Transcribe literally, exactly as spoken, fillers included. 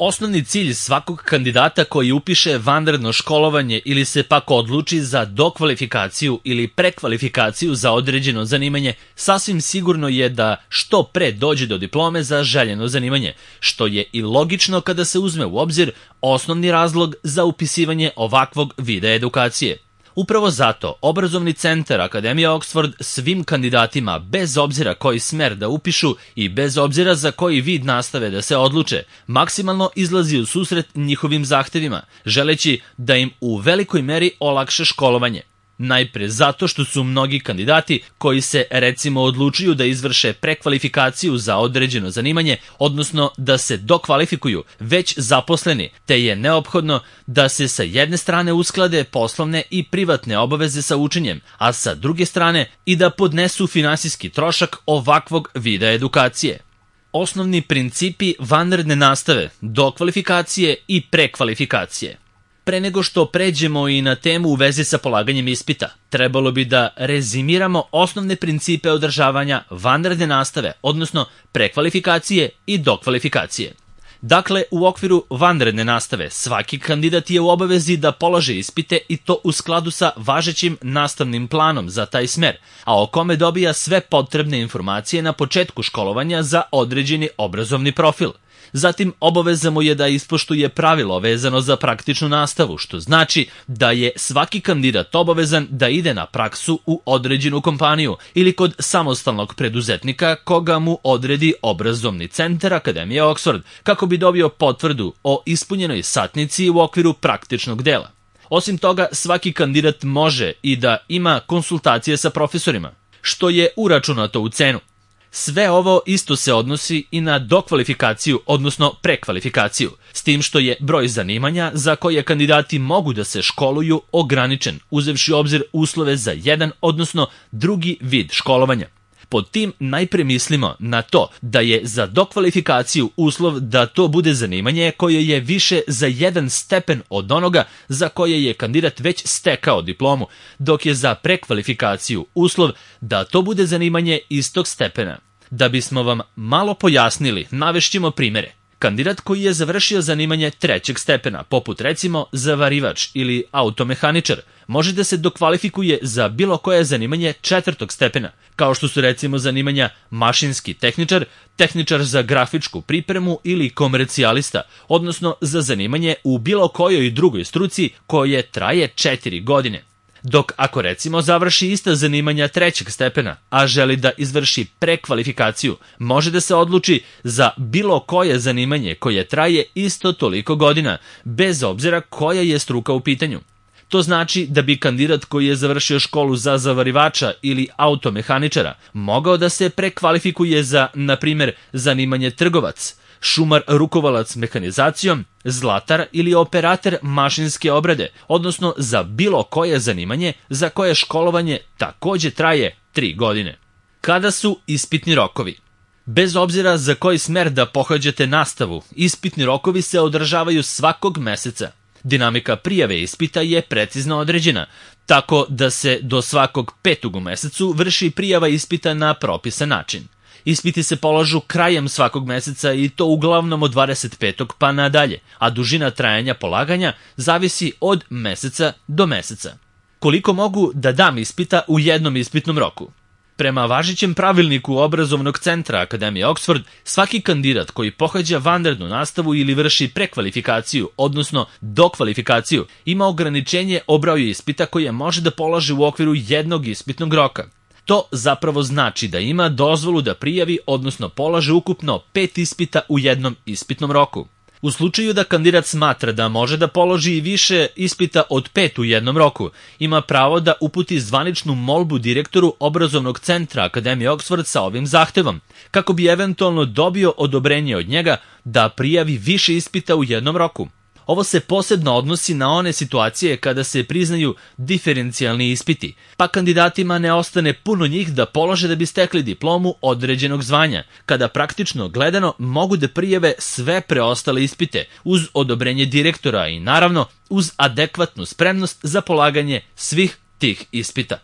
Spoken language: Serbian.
Osnovni cilj svakog kandidata koji upiše vanredno školovanje ili se pak odluči za dokvalifikaciju ili prekvalifikaciju za određeno zanimanje sasvim sigurno je da što pre dođe do diplome za željeno zanimanje, što je i logično kada se uzme u obzir osnovni razlog za upisivanje ovakvog vida edukacije. Upravo zato obrazovni centar Akademije Oxford svim kandidatima, bez obzira koji smer da upišu i bez obzira za koji vid nastave da se odluče, maksimalno izlazi u susret njihovim zahtevima, želeći da im u velikoj meri olakša školovanje. Najpre zato što su mnogi kandidati koji se recimo odlučuju da izvrše prekvalifikaciju za određeno zanimanje, odnosno da se dokvalifikuju, već zaposleni, te je neophodno da se sa jedne strane usklade poslovne i privatne obaveze sa učenjem, a sa druge strane i da podnesu finansijski trošak ovakvog vida edukacije. Osnovni principi vanredne nastave, dokvalifikacije i prekvalifikacije. Pre nego što pređemo i na temu u vezi sa polaganjem ispita, trebalo bi da rezimiramo osnovne principe održavanja vanredne nastave, odnosno prekvalifikacije i dokvalifikacije. Dakle, u okviru vanredne nastave svaki kandidat je u obavezi da polaže ispite i to u skladu sa važećim nastavnim planom za taj smer, a o kome dobija sve potrebne informacije na početku školovanja za određeni obrazovni profil. Zatim, obaveza mu je da ispoštuje pravilo vezano za praktičnu nastavu, što znači da je svaki kandidat obavezan da ide na praksu u određenu kompaniju ili kod samostalnog preduzetnika koga mu odredi obrazovni centar Akademije Oxford, kako bi dobio potvrdu o ispunjenoj satnici u okviru praktičnog dela. Osim toga, svaki kandidat može i da ima konsultacije sa profesorima, što je uračunato u cenu. Sve ovo isto se odnosi i na dokvalifikaciju, odnosno prekvalifikaciju, s tim što je broj zanimanja za koje kandidati mogu da se školuju ograničen, uzevši u obzir uslove za jedan, odnosno drugi vid školovanja. Pod tim najpre mislimo na to da je za dokvalifikaciju uslov da to bude zanimanje koje je više za jedan stepen od onoga za koje je kandidat već stekao diplomu, dok je za prekvalifikaciju uslov da to bude zanimanje istog stepena. Da bismo vam malo pojasnili, navešćemo primere. Kandidat koji je završio zanimanje trećeg stepena, poput recimo zavarivač ili automehaničar, može da se dokvalifikuje za bilo koje zanimanje četvrtog stepena, kao što su recimo zanimanja mašinski tehničar, tehničar za grafičku pripremu ili komercijalista, odnosno za zanimanje u bilo kojoj drugoj struci koje traje četiri godine. Dok ako recimo završi ista zanimanja trećeg stepena, a želi da izvrši prekvalifikaciju, može da se odluči za bilo koje zanimanje koje traje isto toliko godina, bez obzira koja je struka u pitanju. To znači da bi kandidat koji je završio školu za zavarivača ili automehaničara mogao da se prekvalifikuje za, na primjer, zanimanje trgovac, šumar rukovalac mehanizacijom, zlatar ili operator mašinske obrade, odnosno za bilo koje zanimanje za koje školovanje takođe traje tri godine. Kada su ispitni rokovi? Bez obzira za koji smer da pohađate nastavu, ispitni rokovi se održavaju svakog meseca. Dinamika prijave ispita je precizno određena, tako da se do svakog petog u mesecu vrši prijava ispita na propisan način. Ispiti se polažu krajem svakog meseca i to uglavnom od dvadeset petog pa nadalje, a dužina trajanja polaganja zavisi od meseca do meseca. Koliko mogu da dam ispita u jednom ispitnom roku? Prema važećem pravilniku obrazovnog centra Akademije Oxford, svaki kandidat koji pohađa vanrednu nastavu ili vrši prekvalifikaciju, odnosno dokvalifikaciju, ima ograničenje o broju ispita koje može da polaže u okviru jednog ispitnog roka. To zapravo znači da ima dozvolu da prijavi, odnosno polaže ukupno pet ispita u jednom ispitnom roku. U slučaju da kandidat smatra da može da položi i više ispita od pet u jednom roku, ima pravo da uputi zvaničnu molbu direktoru obrazovnog centra Akademije Oxford sa ovim zahtevom, kako bi eventualno dobio odobrenje od njega da prijavi više ispita u jednom roku. Ovo se posebno odnosi na one situacije kada se priznaju diferencijalni ispiti, pa kandidatima ne ostane puno njih da polože da bi stekli diplomu određenog zvanja, kada praktično gledano mogu da prijave sve preostale ispite uz odobrenje direktora i naravno uz adekvatnu spremnost za polaganje svih tih ispita.